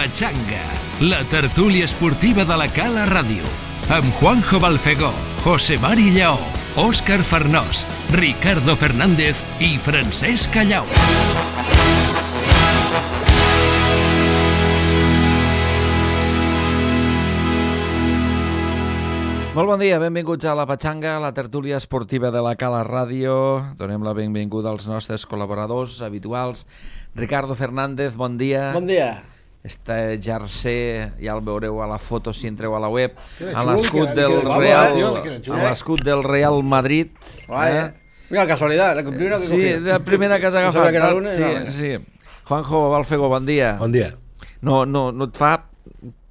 Pachanga, la tertúlia esportiva de la Cala Ràdio, amb Juanjo Balfegó, José Mari Lleó, Òscar Farnós, Ricardo Fernández i Francesc Callau. Molt bon dia, benvinguts a la Pachanga, la tertúlia esportiva de la Cala Ràdio. Donem la benvinguda als nostres col·laboradors habituals. Ricardo Fernández, bon dia. Bon dia. Este jersei, ja el veureu a la foto si entreu a la web, a l'escut del Real Madrid. Mira, casualidad, la primera que sí, la primera que has agafat. Sí. Juanjo Balfegó, bon dia. Bon dia. No et fa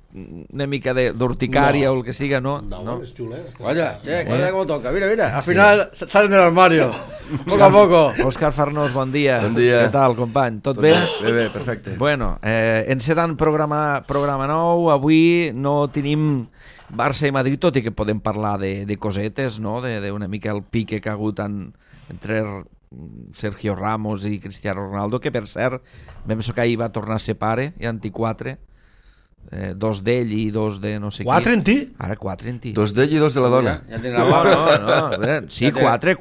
una mica d'urticària o el que siga, ¿no? No, es chula. Vaya, guarda cómo toca, mira. Al final salen del armario, poco a poco. Òscar Farnós, bon dia. Bon dia. Què tal, company? Tot bé? Bé, perfecte. Bueno, encedant programa nou, avui no tenim Barça i Madrid, tot i que podem parlar de cosetes, no? D'una mica el pique que ha hagut entre Sergio Ramos i Cristiano Ronaldo, que per cert, vam so que ahir va tornar a ser pare, i anti-4, dos d'ell i dos de no sé qui. 4 en ti? Ara 4 en ti. Dos d'ell i dos de la dona. Ja tinc la paga. No. Sí, 4.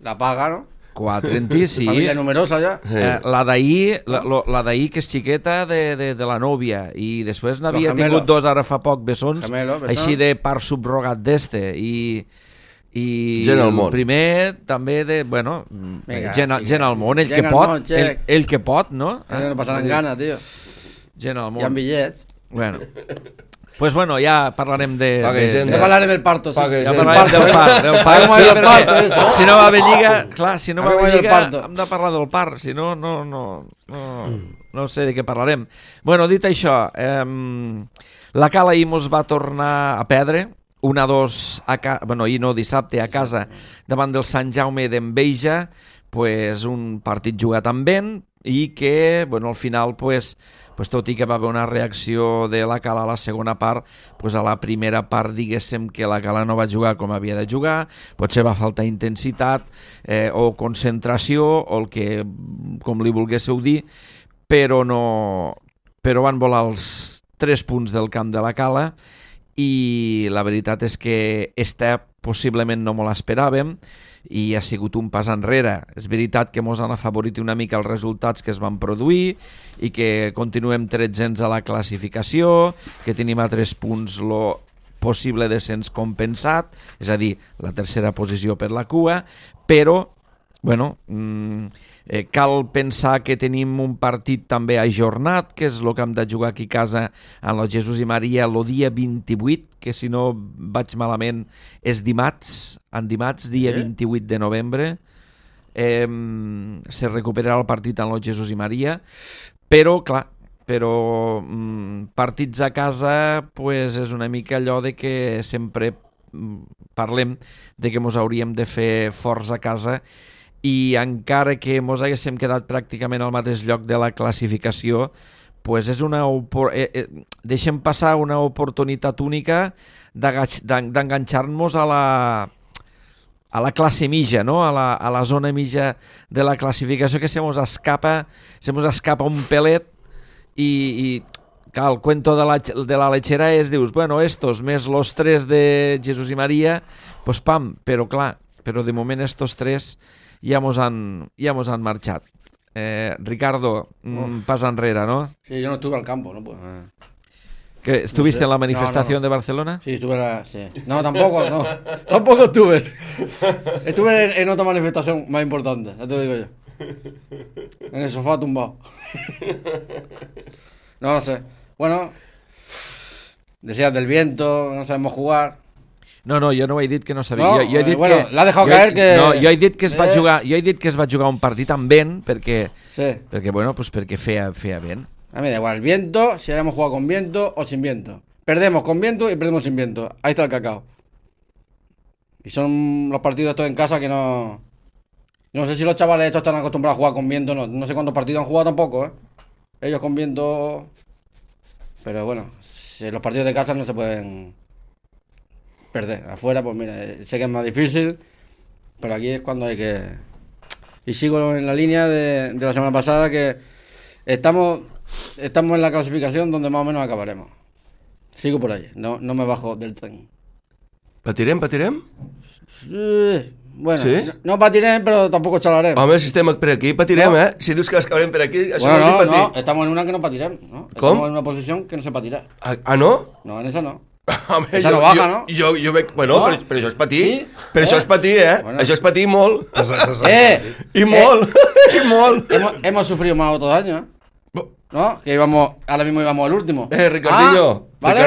La paga, ¿no? 4 en ti, sí. Familia numerosa ja. La d'ahir, que és xiqueta de la nòvia, i després n'havia tingut dos ara fa poc bessons, així de part subrogat d'este, i gent al món. El primer també gent al món, ell que pot, no? No passaran gana, tio. Gent al món. Hi ha bitllets. Pues bueno, ja parlarem de... Ja parlarem del parto, sí. Ja parlarem del part. Si no va haver lliga, clar, si no va haver lliga, hem de parlar del part, si no, no sé de què parlarem. Bueno, dit això, la Cala ahir mos va tornar a perdre, 1-2, ahir no, dissabte, a casa, davant del Sant Jaume d'Enveja, pues un partit jugat amb vent, i que, bueno, al final, pues tot i que va haver una reacció de la Cala a la segona part, pues a la primera part diguéssim que la Cala no va jugar com havia de jugar, potser va faltar intensitat o concentració o el que, com li volguéssiu dir, però van volar els 3 punts del camp de la Cala, i la veritat és que possiblement no me l'esperàvem i ha sigut un pas enrere. És veritat que mos han afavorit una mica els resultats que es van produir i que continuem 13ens a la classificació, que tenim a 3 punts lo possible descens compensat, és a dir, la tercera posició per la cua, però bueno, cal pensar que tenim un partit també ajornat, que és el que hem de jugar aquí a casa en el Jesús i Maria el dia 28, que si no vaig malament és dimarts, dia 28 de novembre, se recuperarà el partit en el Jesús i Maria, però clar, partits a casa pues, és una mica allò de que sempre parlem de que mos hauríem de fer forts a casa, i encara que mos haguéssim quedat pràcticament al mateix lloc de la classificació, pues és deixem passar una oportunitat única d'enganxar-nos a la classe mitja, no? a la zona mitja de la classificació, que se mos escapa un pelet, i clar, el cuento de la lechera és, dius, bueno, estos més los 3 de Jesús i Maria, pues pam, però de moment estos 3 ja mos han marxat. Ricardo, pas enrere, ¿no? Sí, yo no estuve al campo, ¿no? Pues, ¿Que ¿Estuviste en la manifestación de Barcelona? Sí, sí. No, tampoco estuve. Estuve en otra manifestación más importante, ya te lo digo yo. En el sofá tumbado. No sé. Bueno, decías del viento, no sabemos jugar. No, jo no he dit que no sabia. No, jo he dit bueno, l'ha deixat caer que... No, jo he dit que es va jugar un partit amb vent perquè feia vent. A mí da igual, viento, si hayamos jugado con viento o sin viento. Perdemos con viento y perdemos sin viento. Ahí está el cacao. Y son los partidos estos en casa que no... No sé si los chavales estos están acostumbrados a jugar con viento, no sé cuántos partidos han jugado tampoco, ¿eh? Ellos con viento... Pero bueno, si los partidos de casa no se pueden perder. Afuera, pues mira, sé que es más difícil, pero aquí es cuando hay que... Y sigo en la línea de la semana pasada, que estamos estamos en la clasificación donde más o menos acabaremos. Sigo por ahí, no me bajo del tren. Patirem? Bueno, sí? no patirem, però tampoc xalarem. Home, si estem per aquí, patirem, Si dius que acabarem per aquí, això bueno, vol dir patir. No, estamos en una que no patirem, ¿no? Com? Estamos en una posición que no se patirà. Ah, no? No, en esa no. Home, esa no baja, ¿no? Jo veig... Bueno, no? però això és patir. Sí? Això és patir, Bueno. Això és patir molt. I molt. I molt. Hemos sufrido más otros años, ¿no? Que ahora mismo íbamos al último. Ricardinho, ¿vale?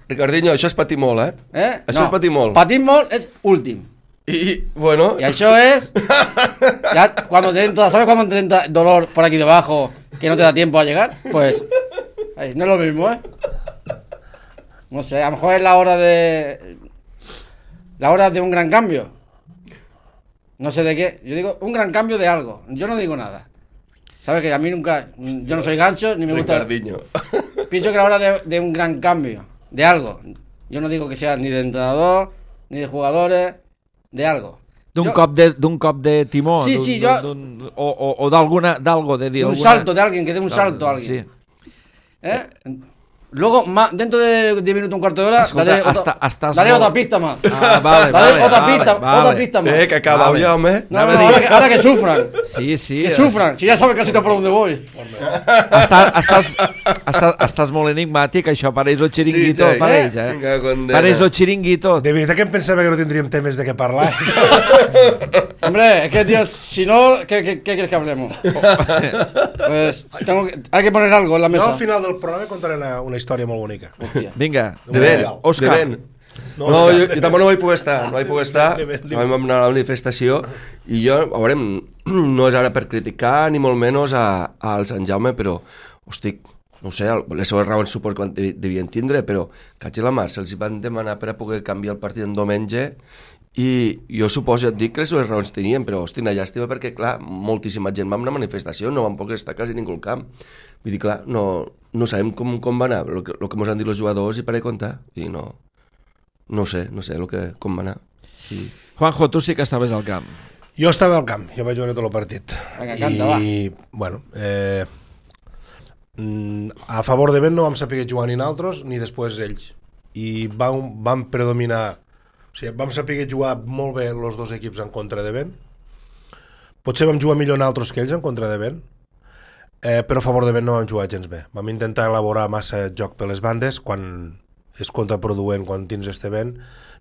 Ricardinho, això és patir molt, Això és patir molt. Patir molt és últim. Y bueno... Y eso es... Ya cuando te entra, ¿sabes cuando te entra dolor por aquí debajo que no te da tiempo a llegar? Pues... ahí, no es lo mismo, No sé, a lo mejor es la hora de... La hora de un gran cambio. No sé de qué. Yo digo un gran cambio de algo. Yo no digo nada. ¿Sabes? Que a mí nunca... Yo no soy gancho, ni me gusta... Ricardinho. Pienso que la hora de un gran cambio. De algo. Yo no digo que sea ni de entrenador, ni de jugadores... de algo. D'un cop de timó. Sí, sí, o d'algo de dir. Un salto de alguien, que dé un salto a alguien. Sí. Luego, dentro de 10 minutos, un cuarto de hora, daré otra pista más. Vale, otra pista más. Que acaba ya, hombre. No, ahora que sufran. Sí. Que sufran, si ya saben casi por dónde voy. Estàs molt enigmàtic, això pareix el xiringuito, pareix, Pareix el xiringuito. De veritat que em pensava que no tindríem temes de què parlar. Hombre, es que, tío, si no, ¿qué quieres que hablemos? Pues hay que poner algo en la mesa. Jo al final del programa contaré una història molt bonica. Hòstia. Vinga. De ben, Òscar. de ben. No, jo tampoc no vaig poder estar. Vam anar a la manifestació i jo, a veure, no és ara per criticar ni molt menys al Sant Jaume, però, hosti, no sé, les seves raons suposo que devien tindre, però catxi la mà, se'ls van demanar per a poder canviar el partit en diumenge i jo suposo, ja et dic que les seves raons tenien, però hosti, una llàstima perquè, clar, moltíssima gent va a una manifestació, no van poder estar quasi ningú al camp. Vull dir, clar, no sabem com va anar, el que ens han dit els jugadors i per a comptar, i no sé com va anar. Sí. Juanjo, tu sí que estaves al camp. Jo estava al camp, jo vaig veure tot el partit. Vinga, canta, va. I, bueno, a favor de Ben no vam saber jugar ni nosaltres ni després ells. I vam predominar, o sigui, vam saber jugar molt bé els dos equips en contra de Ben. Potser vam jugar millor nosaltres que ells en contra de Ben, però a favor de Ben no vam jugar gens bé. Vam intentar elaborar massa joc per les bandes, quan és contraproduent, quan tens este vent.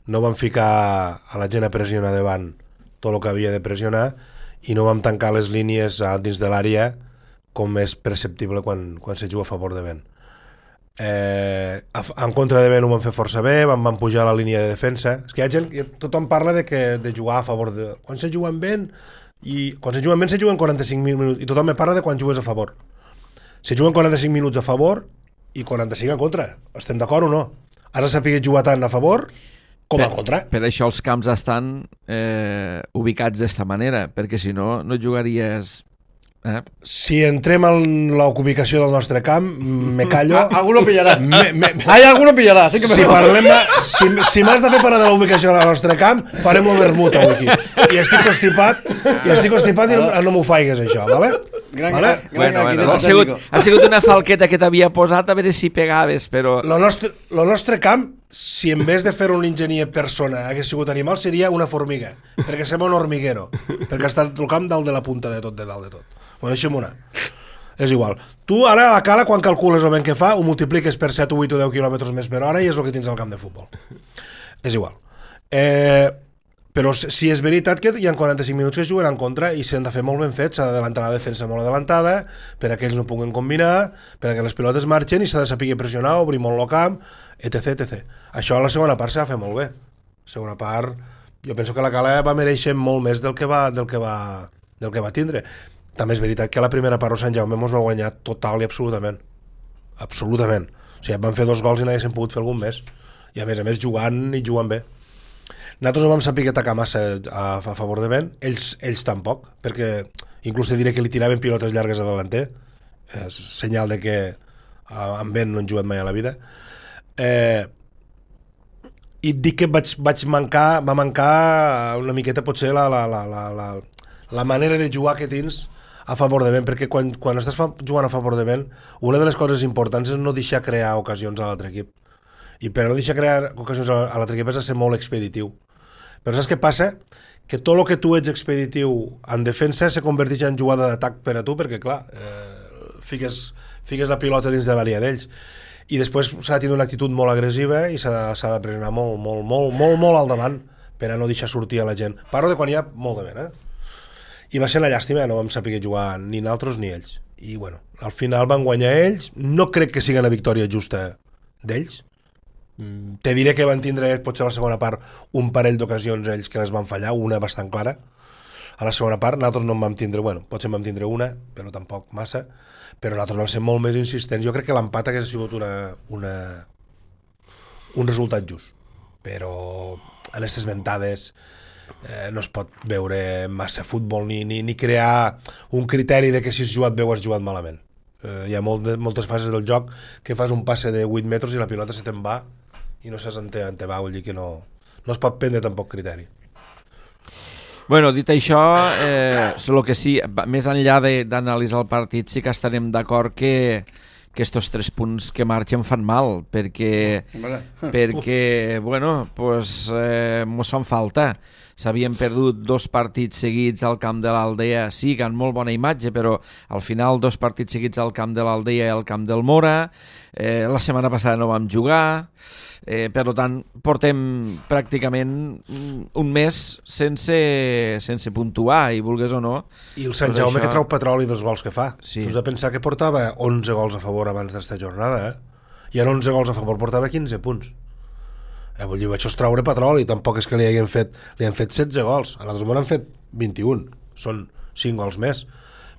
No vam ficar a la gent a pressionar davant tot el que havia de pressionar i no vam tancar les línies dins de l'àrea com és perceptible quan se juga a favor de vent. En contra de vent ho vam fer força bé, vam pujar a la línia de defensa. És que hi ha gent, tothom parla de jugar a favor de... Quan se juga amb vent, i quan se juga amb vent se juguen 45 minuts, i tothom me parla de quan jugues a favor. Se juguen 45 minuts a favor i 45 en contra. Estem d'acord o no? Has de saber jugar tant a favor com en contra. Per això els camps estan ubicats d'esta manera, perquè si no, no jugaries... Si entrem en la ubicació del nostre camp, me callo. Alguno pillarà. Alguno pillarà. Sí que si parlem si m'has de fer parlar de la ubicació del nostre camp, farem el vermut avui aquí. I estic constipat i no m'ho faigues, això, vale? Ha sigut una falqueta que t'havia posat a veure si pegaves, però... El nostre camp, si en vez de fer un enginyer persona hagués sigut animal, seria una formiga, perquè sembla un hormiguero, perquè està el camp dalt de la punta de tot, de dalt de tot. Bueno, deixem una. És igual. Tu ara a la cala, quan calcules el vent que fa, ho multipliques per 7, 8 o 10 km més per hora i és el que tens al camp de futbol. És igual. Però si és veritat que hi ha 45 minuts que es juguen en contra i s'han de fer molt ben fets, s'ha d'adelantar la defensa molt adelantada per a que ells no puguen combinar, per a que les pilotes marxen i s'ha de saber pressionar, obrir molt el camp, etc. Això a la segona part s'ha de fer molt bé. La segona part, jo penso que la cala va mereixer molt més del que va tindre. També és veritat que a la primera part Sant Jaume ens va guanyar total i absolutament. Absolutament. O sigui, van fer 2 gols i no haguessin pogut fer algun més. I a més jugant bé. Nosaltres no vam saber atacar massa a favor de vent, ells tampoc, perquè inclús te diré que li tiraven pilotes llargues a delanter, és senyal de que amb vent no han jugat mai a la vida. I et dic que va mancar una miqueta potser la manera de jugar que tens a favor de vent, perquè quan estàs jugant a favor de vent, una de les coses importants és no deixar crear ocasions a l'altre equip. I per no deixar crear ocasions a l'altre equip has de ser molt expeditiu. Però saps què passa? Que tot el que tu ets expeditiu en defensa se converteix en jugada d'atac per a tu, perquè clar, fiques la pilota dins de l'àrea d'ells. I després s'ha de tenir una actitud molt agressiva i s'ha de pressionar molt al davant per a no deixar sortir a la gent. Parlo de quan hi ha molt de vent, I va ser una llàstima, no vam saber jugar ni nosaltres ni ells. I bueno, al final van guanyar ells, no crec que sigui una victòria justa d'ells. Te diré que van tindre, potser a la segona part, un parell d'ocasions ells que les van fallar, una bastant clara. A la segona part, nosaltres no en vam tindre, potser en vam tindre una, però tampoc massa, però nosaltres vam ser molt més insistents. Jo crec que l'empat hagués sigut un resultat just, però en aquestes ventades no es pot veure massa futbol ni crear un criteri de que si has jugat bé o has jugat malament. Hi ha moltes fases del joc que fas un passe de 8 metres i la pilota se te'n va i no saps on te va, vull dir que no es pot prendre tampoc criteri. Bueno, dit això, el que sí, més enllà d'analitzar el partit, sí que estarem d'acord que estos 3 punts que marxen fan mal, perquè bueno, pues, mos fan falta. S'havien perdut 2 partits seguits al camp de l'Aldea, sí, que han molt bona imatge, però al final 2 partits seguits al camp de l'Aldea i al camp del Mora. La setmana passada no vam jugar, per tant portem pràcticament un mes sense puntuar, i vulgues o no. I el Sant Jaume que trau petroli dels gols que fa. Sí. Tu has de pensar que portava 11 gols a favor abans d'esta jornada, i en 11 gols a favor portava 15 punts. Vull dir, això és traure petroli, tampoc és que li han fet 16 gols, a l'altre món han fet 21, són 5 gols més,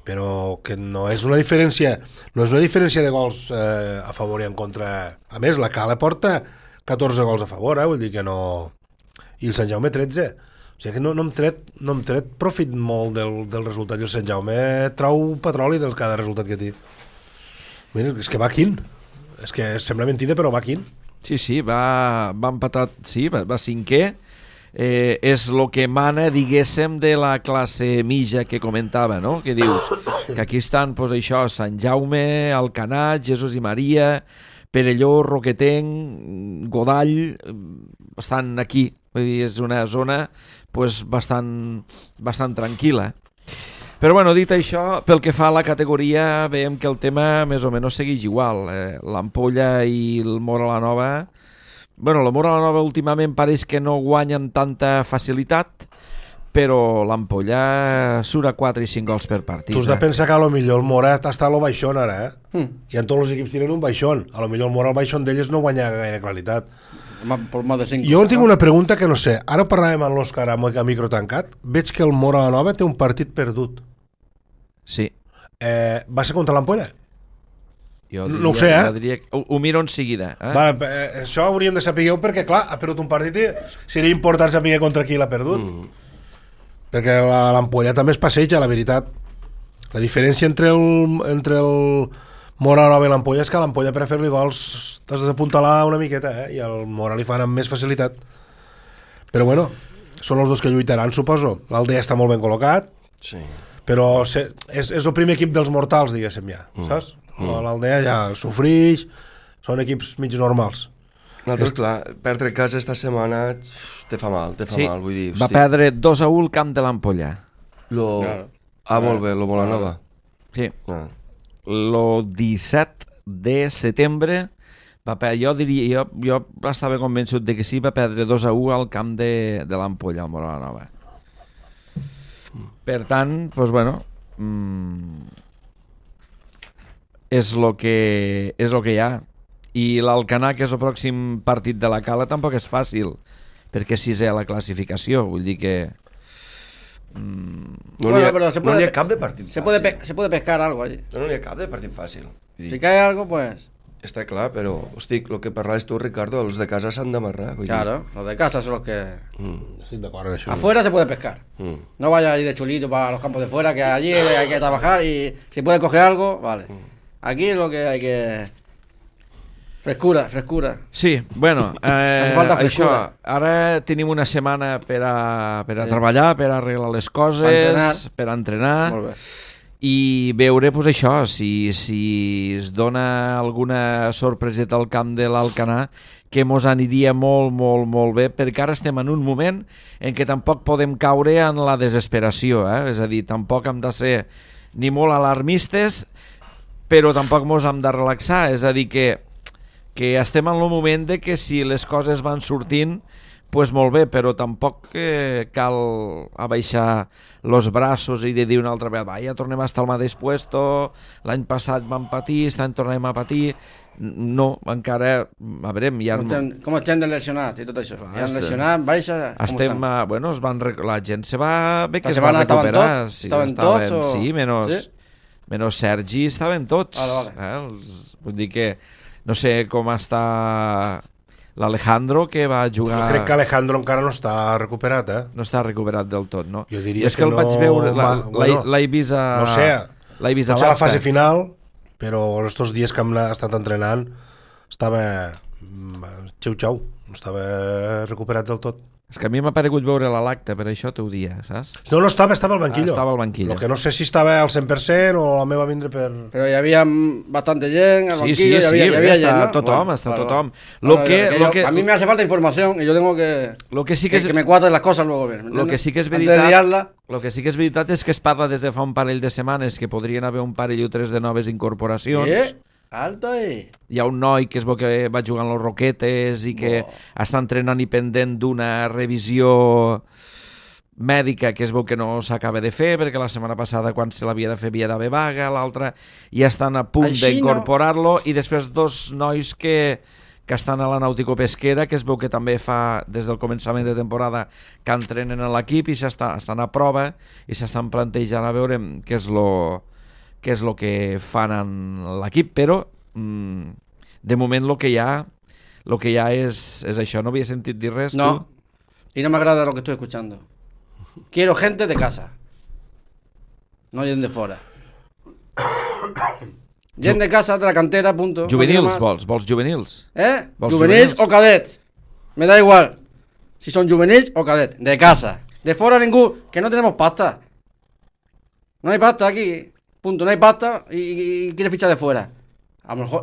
però que no és una diferència de gols a favor i en contra. A més, la Cala porta 14 gols a favor, vull dir que no... I el Sant Jaume 13. O sigui que no hem tret profit molt del resultat, i el Sant Jaume trau petroli del cada resultat que té. Mira, és que va quin. És que sembla mentida, però va quin. Sí, va empatar, sí, va 5è. És el que mana, diguéssim, de la classe mitja que comentava, no? Que dius que aquí estan, doncs això, Sant Jaume, Alcanat, Jesús i Maria, Perelló, Roquetenc, Godall, estan aquí. Vull dir, és una zona doncs, bastant tranquil·la. Però bueno, dit això, pel que fa a la categoria, veiem que el tema més o menys segueix igual. L'Ampolla i el Mora la Nova... Bueno, el Mora la Nova últimament pareix que no guanyen tanta facilitat, però l'Ampolla surt a 4 i 5 gols per partit. Tu has de pensar que a lo millor el Mora està a lo baixón ara, I en tots els equips tiren un baixón. A lo millor el Mora al baixón d'ells no guanya gaire qualitat. Jo tinc una pregunta que no sé. Ara parlàvem amb l'Òscar a micro tancat. Veig que el Mora la Nova té un partit perdut. Sí. Va ser contra l'Ampolla? No ho sé, ho miro en seguida. Això hauríem de saber perquè, clar, ha perdut un partit i seria important saber contra qui l'ha perdut. Perquè l'Ampolla també es passeja, la veritat. La diferència entre el Mora la Nova i l'Ampolla és que l'Ampolla per a fer-li gols t'has d'apuntalar una miqueta, i el Mora li fan amb més facilitat. Però bueno, són els dos que lluitaran, suposo. L'Aldea està molt ben col·locat, sí, però és el primer equip dels mortals, diguéssim, ja, saps? L'Aldea ja sofrix, són equips mig normals. Nosaltres, clar, perdre casa esta setmana te fa mal, vull dir... Va perdre 2-1 al camp de l'Ampolla. Molt bé, lo Molanova. Sí. El 17 de setembre jo estava convençut de que sí, va perdre 2-1 al camp de l'Ampolla, al Molanova. Per tant, doncs bueno, és el que hi ha. I l'Alcanar, que és el pròxim partit de la Cala, tampoc és fàcil, perquè és 6è a la classificació, vull dir que... No n'hi ha cap de partit fàcil. Se puede pescar algo allí. No n'hi ha cap de partit fàcil. Si cae algo, pues... Està clar, però, hosti, el que parlaves tu, Ricardo, els de casa s'han d'amarrar. Claro, los de casa son los que... Estoy de acuerdo en eso. Afuera se puede pescar. No vaya allí de chulito para los campos de fuera, que allí hay que trabajar y si puede coger algo, vale. Aquí es lo que hay que... Frescura. Sí, bueno, això, ara tenim una setmana per a treballar, per a arreglar les coses, per a entrenar. Molt bé. i veure això, si es dona alguna sorpreseta al camp de l'Alcanar, que mos aniria molt, molt, molt bé, perquè ara estem en un moment en què tampoc podem caure en la desesperació, és a dir, tampoc hem de ser ni molt alarmistes, però tampoc mos hem de relaxar, és a dir, que estem en el moment de que si les coses van sortint, pues molt bé, però tampoc cal abaixar los braços i de dir una altra vegada, ja tornem a estar al mateix puesto, l'any passat vam patir, aquest any tornem a patir. No, encara, a veure, ja... Com estem de lesionats i tot això? Ja han lesionat, baixa... Bueno, la gent se va... Bé que es va recuperar. Estaven tots? Sí, menys Sergi estaven tots. Vull dir que no sé com està l'Alejandro, que va jugar... Jo crec que Alejandro encara no està recuperat, No està recuperat del tot, no? Jo diria és que el vaig veure, l'he vist a... No sé, l'he vist a la fase final, però estos dies que hem estat entrenant estava xau-xau, no estava recuperat del tot. És que a mi m'ha paregut veure la l'acta, per això t'ho dia, saps? No estava al banquillo. Estava al banquillo. Lo que no sé si estava al 100% o la meva vindre per... Però hi havia bastante gent al banquillo, hi havia gent, ¿no? Tothom, està tothom. A mí me hace falta información y yo tengo que... Que me cuadren las cosas luego bien. Lo que sí que és veritat és que es parla des de fa un parell de setmanes que podrien haver un parell o tres de noves incorporacions. Alto ahí. Hi ha un noi que es veu que va jugar en los Roquetes i que està entrenant i pendent d'una revisió mèdica que es veu que no s'acaba de fer perquè la setmana passada quan se l'havia de fer havia d'haver vaga, l'altra ja estan a punt d'incorporar-lo i després dos nois que estan a la Nàutico-Pesquera, que es veu que també fa des del començament de temporada que entrenen a l'equip i estan a prova i s'estan plantejant a veure què és el que fan en l'equip, però de moment el que hi ha és això. No havia sentit dir res, no, tu? Y no me agrada lo que estoy escuchando. Quiero gente de casa, no gent de fora. Gent de casa, de la cantera, punto. Juvenils, vols juvenils? Vols juvenils o cadets, me da igual si son juvenils o cadets, de casa. De fora ningú, que no tenemos pasta. No hay pasta aquí. Punto, no hay pasta y quiere fichar de fuera. A lo mejor,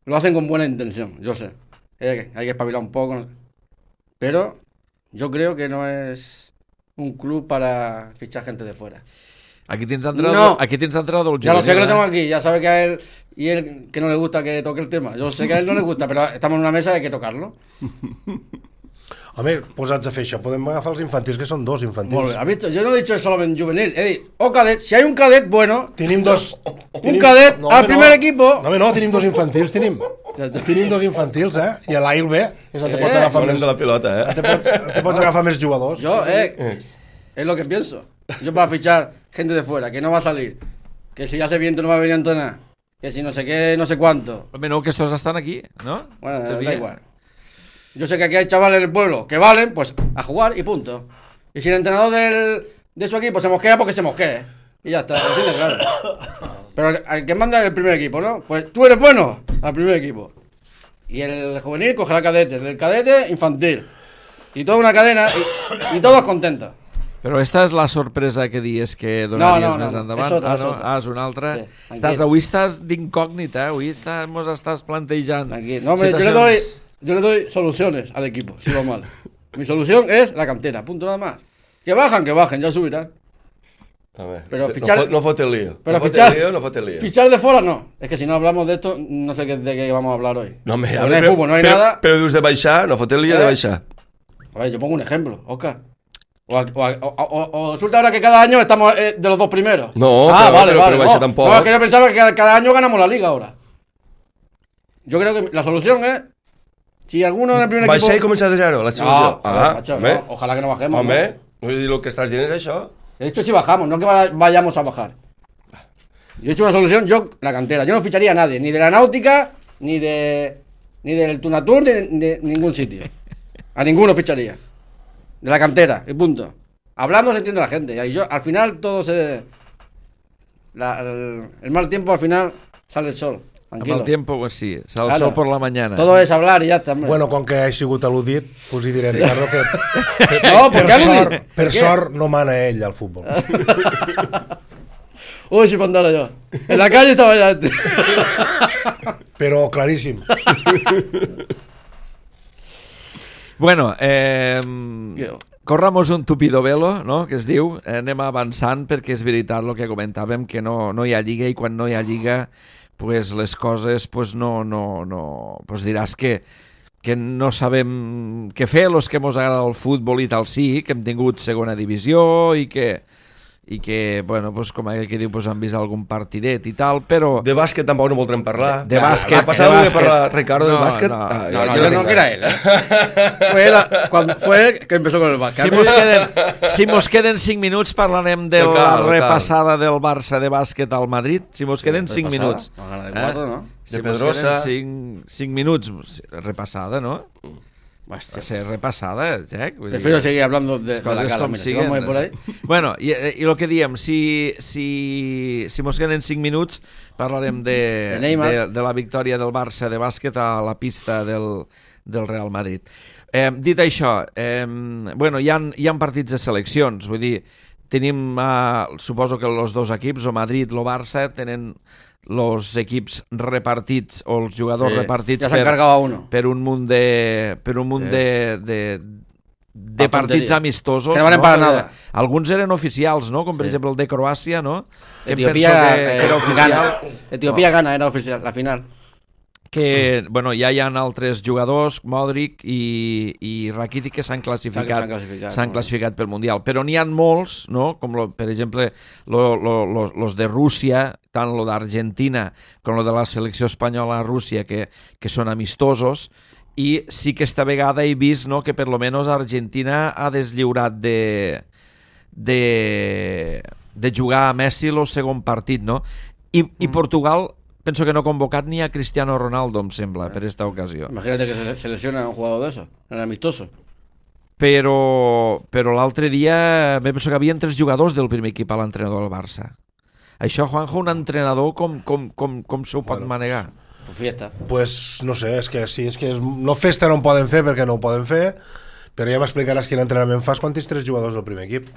lo hacen con buena intención, yo sé. Hay que espabilar un poco. Pero yo creo que no es un club para fichar gente de fuera. Aquí tienes entrado el juvenil. Ya lo sé que lo tengo aquí, ya sabe que a él y él que no le gusta que toque el tema. Yo sé que a él no le gusta, pero estamos en una mesa y hay que tocarlo. Home, posats a fer això, podem agafar els infantils, que són dos infantils. Molt bé, ¿has visto? Yo no he dicho solamente juvenil, he dit, o cadet, si hay un cadet bueno... Tenim dos... Un cadet al primer equipo... No, tenim dos infantils, tenim dos infantils, I a l'AIL B, és on te pots agafar més... de la pilota, Te pots agafar més jugadors. Yo, es lo que pienso. Yo para fichar gente de fuera, que no va a salir, que si hace viento no va a venir a entrenar, que si no sé qué, no sé cuánto... Hombre, no, que estos están aquí, ¿no? Bueno, da igual. Yo sé que aquí hay chavales en el pueblo que valen, pues a jugar y punto. Y si el entrenador de su equipo se mosquea, porque se mosquee. Y ya está, así de claro. Pero el que manda el primer equipo, ¿no? Pues tú eres bueno al primer equipo. Y el juvenil cogerá cadete, del cadete infantil. Y toda una cadena y todos contentos. Però esta és la sorpresa que dies que donaries més endavant. És una altra. Sí, avui estàs d'incògnita, avui mos estàs plantejant. No, yo le doy soluciones al equipo, si va mal. Mi solución es la cantera, punto nada más. Que bajen, ya subirán. A ver, pero fichar, no fote el lío. Pero no fote el lío. Fichar de fuera no. Es que si no hablamos de esto, no sé de qué vamos a hablar hoy. No me no hay fútbol, no hay nada. Pero dius de baixar, no fote el lío de baixar. A ver, yo pongo un ejemplo, Oscar. O resulta ahora que cada año estamos de los dos primeros. No, pero baixa tampoco. No, es que yo pensaba que cada año ganamos la liga ahora. Yo creo que la solución es... Si alguno en el primer equipo... Baixar i començar de zero, la solució. No, ojalá que no bajemos. Home, no dir lo que estàs dient és això. He dicho si bajamos, no que vayamos a bajar. Yo he hecho una solución, la cantera. Yo no ficharía a nadie, ni de la Náutica, ni del Tunatur, ni de ningún sitio. A ninguno ficharía. De la cantera, y punto. Hablando se entiende la gente. Y yo, al final, todo se... el mal tiempo, al final, sale el sol. Tranquilo. Amb el tiempo, pues sí, sale el sol por la mañana. Todo es hablar y ya está. Bueno, com que he sigut al·ludit, pues hi diré, Ricardo, que no, per sort no mana ell al futbol. Uy, si mandara yo. En la calle estaba ya este. Però claríssim. Bueno, corramos un tupido velo, no?, que es diu. Anem avançant perquè és veritat el que comentàvem, que no hi ha lliga, i quan no hi ha lliga pues les coses pues no pues diràs que no sabem què fer, els que ens agrada el futbol i tal, sí, que hem tingut segona divisió i que bueno, pues, com aquell que diu, pues, han vist algun partidet i tal, però... De bàsquet tampoc no voldrem parlar. De bàsquet. Ha passat de parlar, Ricardo, de bàsquet? No, que era él, Fue él que empezó con el bàsquet. Si mos queden 5 minuts parlarem de la repassada del Barça de bàsquet al Madrid. Si mos queden 5 minuts. De 4, ¿no? De Pedrosa. 5 minuts, repassada, ¿no? Que ser repassada, Jack. Prefiero seguir hablando de la cara. Mira, si vamos por ahí. Bueno, i lo que diem, si mos queden 5 minuts, parlarem de la victòria del Barça de bàsquet a la pista del Real Madrid. Dit això, bueno, hi ha partits de seleccions, vull dir, tenim, suposo que els dos equips, o Madrid o Barça, tenen els equips repartits o els jugadors repartits per un munt de partits amistosos. Que no valen para nada. Alguns eren oficials, no? Com per exemple el de Croàcia, no? Etiopía gana, era oficial, la final. Que, bueno, ja hi ha altres jugadors, Modric i Rakitic, que s'han classificat pel Mundial. Però n'hi ha molts, no? Com, per exemple, los de Rússia, tant lo d'Argentina com lo de la selecció espanyola a Rússia, que són amistosos, i sí que esta vegada he vist, no, que per lo menos Argentina ha deslliurat de jugar a Messi el segon partit, no? I Portugal penso que no ha convocat ni a Cristiano Ronaldo, em sembla, per esta ocasió. Imagínate que se lesiona un jugador de eso, en el amistoso. Però l'altre dia penso que havia 3 jugadors del primer equip a l'entrenador del Barça. Això, Juanjo, un entrenador com s'ho pot manegar? Fiesta. Pues no sé, és que no festa no en poden fer perquè no ho poden fer, però ja m'explicaràs quin entrenament fas quan tens 3 jugadors del primer equip.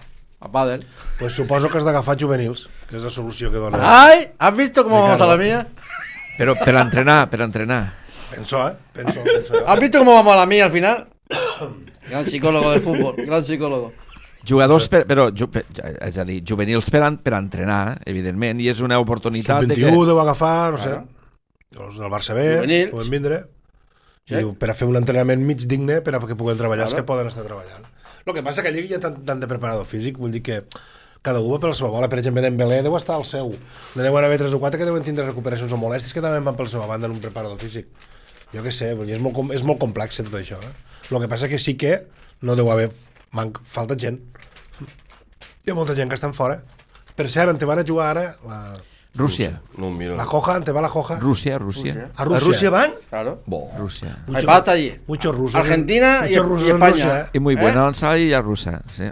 A pádel. Pues suposo que has d'agafar juvenils, que és la solució que dona. ¡Ay! ¿Has visto cómo vamos a la mía? Però per entrenar. Penso. ¿Has visto cómo vamos a la mía al final? Gran psicólogo del fútbol, gran psicólogo. Jugadors, és a dir, juvenils per entrenar, evidentment, i és una oportunitat... Sub-21 deu agafar, no sé, els del Barça B, poden vindre, per a fer un entrenament mig digne per a que puguen treballar els que poden estar treballant. El que passa que allí hi ha tant de preparador físic, vull dir que cada un va per la seva bola. Per exemple, Dembélé deu estar al seu. Ne deuen haver 3 o 4 que deuen tindre recuperacions o molèsties que també van per la seva banda en un preparador físic. Jo què sé, és molt complex tot això. El que passa que sí que no deu haver... falta gent. Hi ha molta gent que estan fora. Per cert, en te van a jugar ara... Rússia. La Joja, en te va la Joja. Rússia. ¿A Rusia van? Claro. Rusia. Hay pasta allí. Muchos rusos. Argentina y España. Y muy buena la rusa, sí.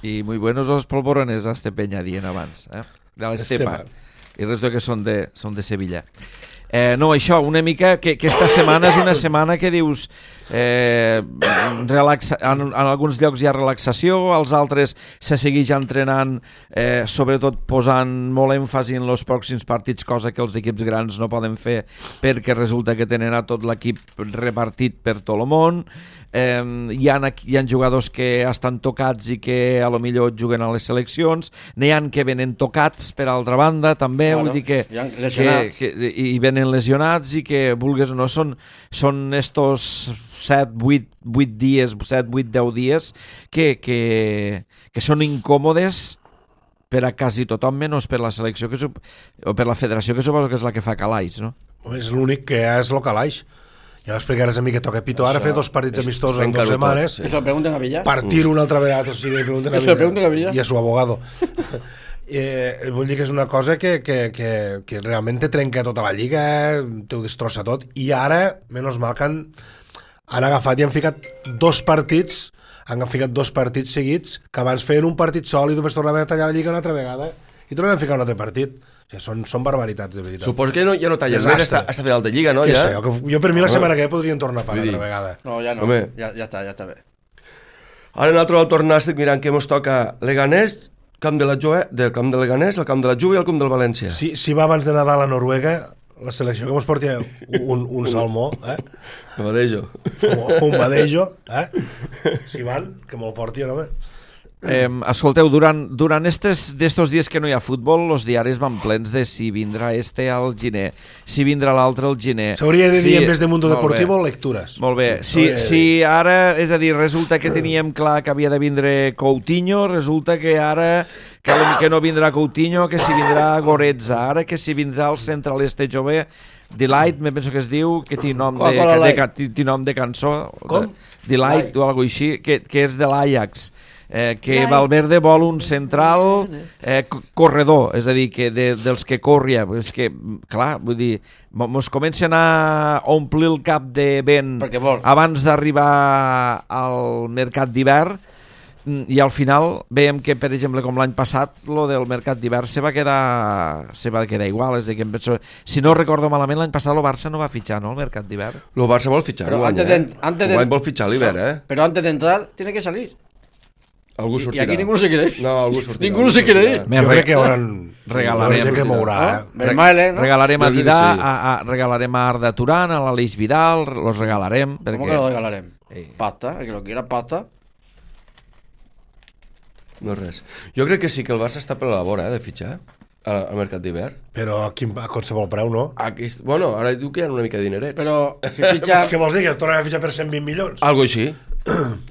Y muy buenos los polvorones a este Peña dient abans, de l'Estepa. I res que són de Sevilla. No, això, una mica que esta setmana és una setmana que dius en alguns llocs hi ha relaxació, als altres se segueix entrenant, sobretot posant molt èmfasi en els pròxims partits, cosa que els equips grans no poden fer perquè resulta que tenen a tot l'equip repartit per tot el món. Hi ha jugadors que estan tocats i que a lo millor juguen a les seleccions, n'hi ha que venen tocats per altra banda també, vull dir que i venen lesionats i que vulgues o no, són estos 7, 8 dies, 7, 8, 10 dies que són incòmodes per a quasi tothom, menys per la selecció o per la federació, que suposo que és la que fa calaix, no? És l'únic que és el calaix. Ja m'explicaràs a mi que toca Pito ara fer 2 partits amistosos en 2 setmanes. Eso lo pregunten a Villar. Partir una altra vegada, si li pregunten a Villar. I a su abogado. Vull dir que és una cosa que realment te trenca tota la lliga, te ho destrossa tot, i ara, menys mal que han agafat i han ficat 2 partits, seguits, que abans feien un partit sol i després tornaven a tallar la lliga una altra vegada i tornaven a ficar un altre partit. O sigui, són barbaritats, de veritat. Suposo que ja no tallen més hasta final de lliga, no? Ja? Jo per mi la setmana que ve podrien tornar a parar altra vegada. No, ja no, ja està bé. Ara nosaltres al tornar estic mirant que ens toca Leganés, camp de Leganés, el camp de la Juve i el camp del València. Si va abans de Nadal a Noruega, la selecció que mos porti un salmó, Un badejo. Un badejo, si van, que me'l porti, home. Escolteu, durant estos dies que no hi ha futbol, els diaris van plens de si vindrà al gener, si vindrà l'altre al gener. S'hauria de dir, en vez de Mundo Deportivo, lectures. Molt bé. Si ara, és a dir, resulta que teníem clar que havia de vindre Coutinho, resulta que ara que no vindrà Coutinho, que si vindrà Goretzka, ara que si vindrà el central este jove, Delight, me penso que es diu, que té nom de cançó. Com? Delight o alguna així, que és de l'Ajax. Que Valverde vol un central corredor, és a dir, que dels que corria, és que, clar, vull dir, mos comencen a omplir el cap de vent abans d'arribar al mercat d'hivern, i al final veiem que, per exemple, com l'any passat, lo del mercat d'hivern se va quedar igual, és a dir, que penso, si no recordo malament, l'any passat el Barça no va fitxar, no, el mercat d'hivern? El Barça vol fitxar, l'any vol fitxar l'hivern, Però antes de entrar, tiene que salir. Algú sortirà. I aquí ningú no se quiere ir. No, algú sortirà. Ningú no se quiere ir. Jo crec que regalarem que mourà. Regalarem a Didà, regalarem a Arda Turán, a l'Aleix Vidal, los regalarem. ¿Cómo que lo regalarem? Pasta, el que lo quiera pasta. No res. Jo crec que sí que el Barça està per la vora de fitxar al mercat d'hivern. Però a qualsevol preu, no? Bueno, ara diu que hi ha una mica de dinerets. Però si fitxa... Què vols dir, que el tornem a fitxar per 120 milions? Algo així.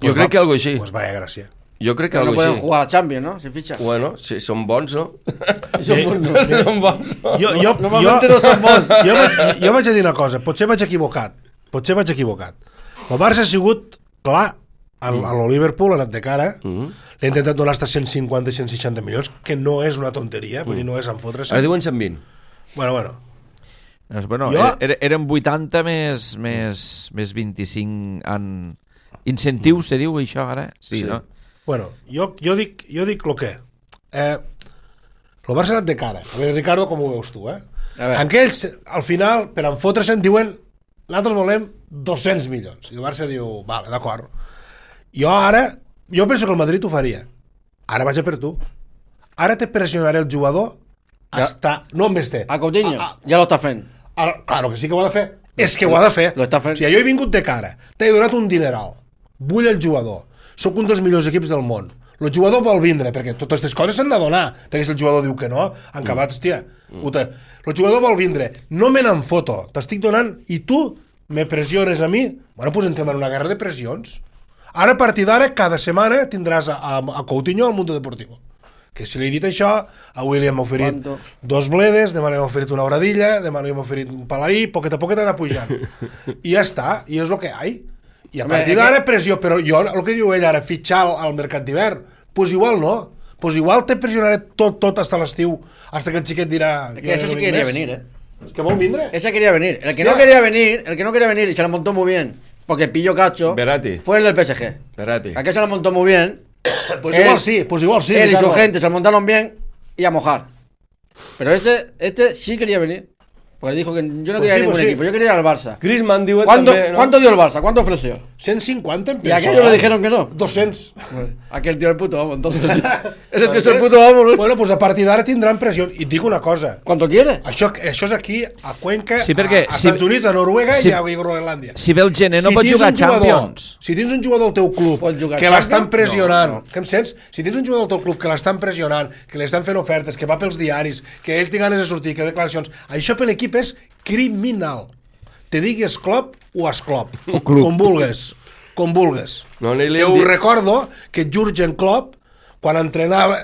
Jo crec que algo així. Pues vaya gràcia. Jo crec que no algo poden així. jugar a Champions, no? Si fitxa. Bueno, si són bons, no? Són bons, no? Normalment no són bons. Jo vaig a dir una cosa, potser vaig equivocat. El Barça ha sigut clar a lo Liverpool, ha anat de cara, l'ha intentat donar hasta 150 i 160 milions, que no és una tonteria, vull dir, no és en fotre-se. Ara diuen 120. Bueno. Eren 80 més 25 en incentius, se diu això ara? Sí, no? Bueno, jo dic lo que. El Barça ha anat de cara. A veure, Ricardo, com ho veus tu, Aquells, al final, per enfotre-se'n, diuen nosaltres volem 200 milions. I el Barça diu, vale, d'acord. Jo penso que el Madrid ho faria. Ara vaig a per tu. Ara te pressionaré el jugador hasta... No em té. A Coutinho, ja lo està fent. Claro que sí que ho ha de fer. És que ho ha de fer. Lo està fent. Si jo he vingut de cara, t'he donat un dineral, vull el jugador, sóc un dels millors equips del món, el jugador vol vindre, perquè totes aquestes coses s'han de donar, perquè si el jugador diu que no, han acabat, hòstia, el jugador vol vindre, no me n'en foto, t'estic donant, i tu me pressiones a mi, bueno, pues entrem en una guerra de pressions. Ara, a partir d'ara, cada setmana tindràs a Coutinho al Mundo Deportivo. Que si li he dit això, avui li hem oferit 2 bledes, demà li hem oferit una hora-dilla, demà li hem oferit un palaí, poquet a poquet anar pujant. I ja està, i és el que hi ha. I a partir d'ara pressió, però jo, el que diu ell ara, fitxar al mercat d'hivern, pues igual no. Pues igual te pressionaré tot hasta l'estiu, hasta que el xiquet dirà... Que eso sí quería venir, Es que vol vindre. Ese quería venir. El que no quería venir y se lo montó muy bien, porque pilló cacho, fue el del PSG. Verratti. Aquel se lo montó muy bien. Pues igual sí. Él y su gente se lo montaron bien y a mojar. Pero este sí quería venir. Porque dijo que yo no quería ningún equipo, yo quería ir al Barça. Griezmann diu també, no? ¿Cuánto dio el Barça? ¿Cuánto ofreció? 150 empezó. Y aquellos le dijeron que no. 200. Aquel tío el puto amo, entonces. Ese tío es el puto amo, ¿no? Bueno, pues a partir d'ara tindran pressió. I et dic una cosa. ¿Cuánto quiere? Això és aquí, a Cuenca, sí, perquè, a Estats Units, a Noruega i a Groenlàndia. Si ve el gener no pot jugar a Champions. Si tens un jugador al teu club que l'estan pressionant, que em sents? Si tens un jugador al teu club que l'estan pressionant, que li estan fent ofertes, que va pels diaris, que ell té ganes de sortir, que declaracions, això per l'equip és criminal. Te digues Klopp o Esclop, com vulgues. No, jo ho recordo que Jürgen Klopp, quan entrenava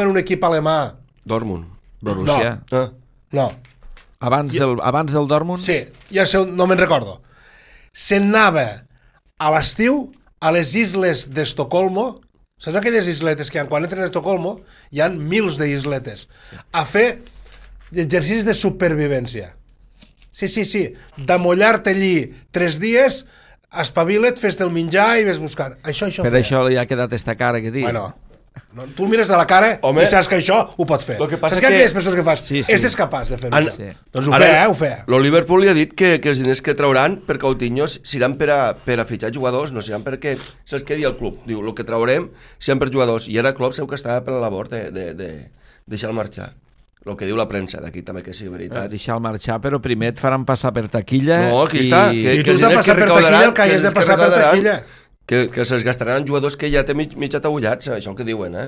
en un equip alemà... Dortmund. Borussia. No. Abans del Dortmund? Sí, no me'n recordo. Se'n anava a l'estiu a les isles d'Estocolmo, saps aquelles isletes que quan entren a Estocolmo hi ha mils d'isletes, a fer exercicis de supervivència. Sí, d'amollar-te allí 3 dies, espavila't, fes-te el menjar i ves buscant. Això per això li ha quedat esta cara que dic. Bueno, No, tu el mires de la cara i saps que això ho pot fer. Saps que aquelles persones que fas, este és capaç de fer-ho. Doncs ho feia. El Liverpool li ha dit que els diners que trauran per Coutinho seran per a fitxar jugadors, no seran perquè se'ls quedi al club. Diu, el que traurem seran per jugadors. I ara Klopp segur que estava per la labor de deixar-lo marxar. El que diu la premsa d'aquí també que sigui veritat. Deixar-lo marxar, però primer et faran passar per taquilla. No, aquí està. I tu has de passar per taquilla el que has de passar per taquilla. Que se'ls gastaran jugadors que ja té mig atabullats, això el que diuen,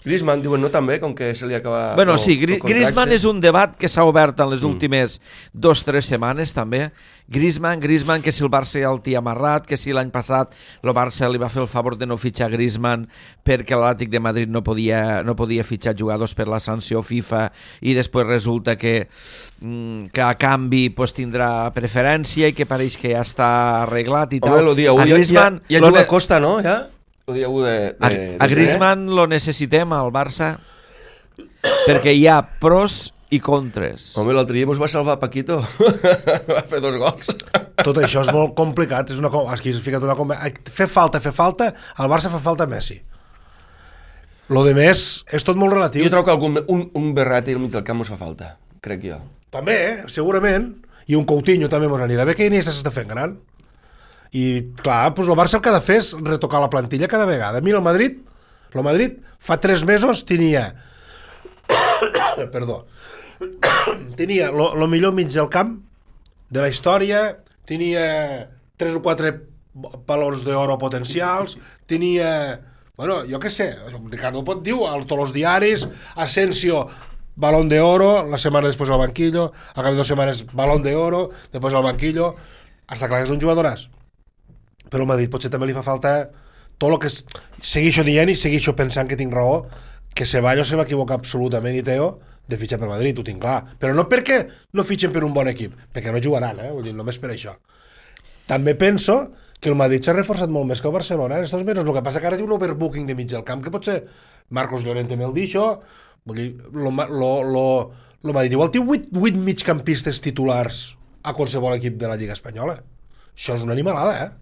Griezmann, diuen, no també, com que se li acaba... Bueno, sí, Griezmann és un debat que s'ha obert en les últimes 2-3 setmanes, també. Griezmann, que si el Barça ja el té amarrat, que si l'any passat el Barça li va fer el favor de no fitxar Griezmann perquè l'Atlètic de Madrid no podia fitxar jugadors per la sanció FIFA i després resulta que a canvi tindrà preferència i que pareix que ja està arreglat i tal. Home, el dia 1 ja juga a Costa, no? Ja? A Griezmann lo necessitem al Barça perquè hi ha pros i contres. Home, l'altre dia mos va salvar Paquito. Va fer 2 gols. Tot això és molt complicat. Aquí s'ha ficat una... Fer falta. Al Barça fa falta Messi. Lo de més és tot molt relatiu. Jo trobo que un Berratti al mig del camp mos fa falta, crec jo. També, segurament. I un Coutinho també mos anirà bé, que Iniesta s'està fent gran. I clar, doncs el Barça el que ha de fer és retocar la plantilla cada vegada. Mira, el Madrid fa 3 mesos tenia tenia el millor mig del camp de la història, tenia 3 o 4 balons d'oro potencials, tenia, bueno, jo què sé, Ricardo pot dir a tots els diaris, Asensio balón de oro, la setmana després al banquillo, al cap de 2 setmanes balón de oro, després al banquillo. Està clar que és un jugadoràs. Però al Madrid potser també li fa falta tot el que segueixo dient i segueixo pensant que tinc raó, que Ceballos se va equivocar absolutament i Teo de fitxar per Madrid, ho tinc clar, però no perquè no fitxen per un bon equip, perquè no jugaran, vull dir, només per això. També penso que el Madrid s'ha reforçat molt més que el Barcelona en estos mesos, el que passa que ara té un overbooking de mig del camp, que potser Marcos Llorente me'l deixo, vull dir, el Madrid igual té 8 migcampistes titulars a qualsevol equip de la Lliga Espanyola. Això és una animalada,